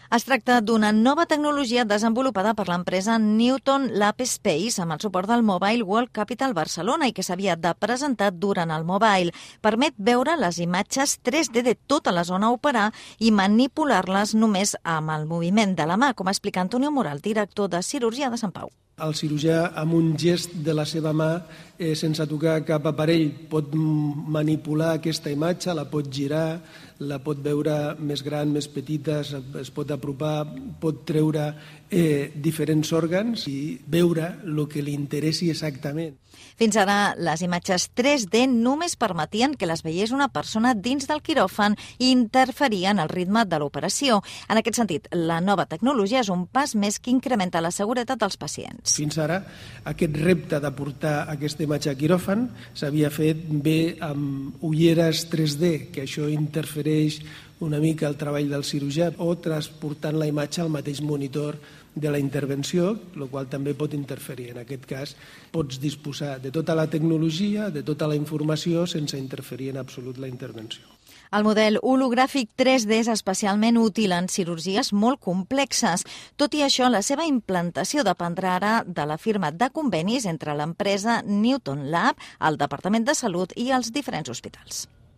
Es tracta d'una nova tecnologia desenvolupada per l'empresa Newton Lab Space amb el suport del Mobile World Capital Barcelona i que s'havia de presentar durant el Mobile. Permet veure les imatges 3D de tota la zona a operar i manipular-les només amb el moviment de la mà, com explica Antonio Moral, director de cirurgia de Sant Pau. El cirurgià, amb un gest de la seva mà, sense tocar cap aparell, pot manipular aquesta imatge, la pot girar, la pot veure més gran, més petita, es pot apropar, pot treure diferents òrgans i veure el que li interessi exactament. Fins ara, les imatges 3D només permetien que les veiés una persona dins del quiròfan i interferien el ritme de l'operació. En aquest sentit, la nova tecnologia és un pas més que incrementa la seguretat dels pacients. Fins ara, aquest repte de portar aquesta imatge a quiròfan s'havia fet bé amb ulleres 3D, que això interfereix una mica el treball del cirurgià, o transportant la imatge al mateix monitor de la intervenció, el qual també pot interferir. En aquest cas, pots disposar de tota la tecnologia, de tota la informació, sense interferir en absolut la intervenció. El model hologràfic 3D és especialment útil en cirurgies molt complexes. Tot i això, la seva implantació dependrà ara de la firma de convenis entre l'empresa Newton Lab, el Departament de Salut i els diferents hospitals.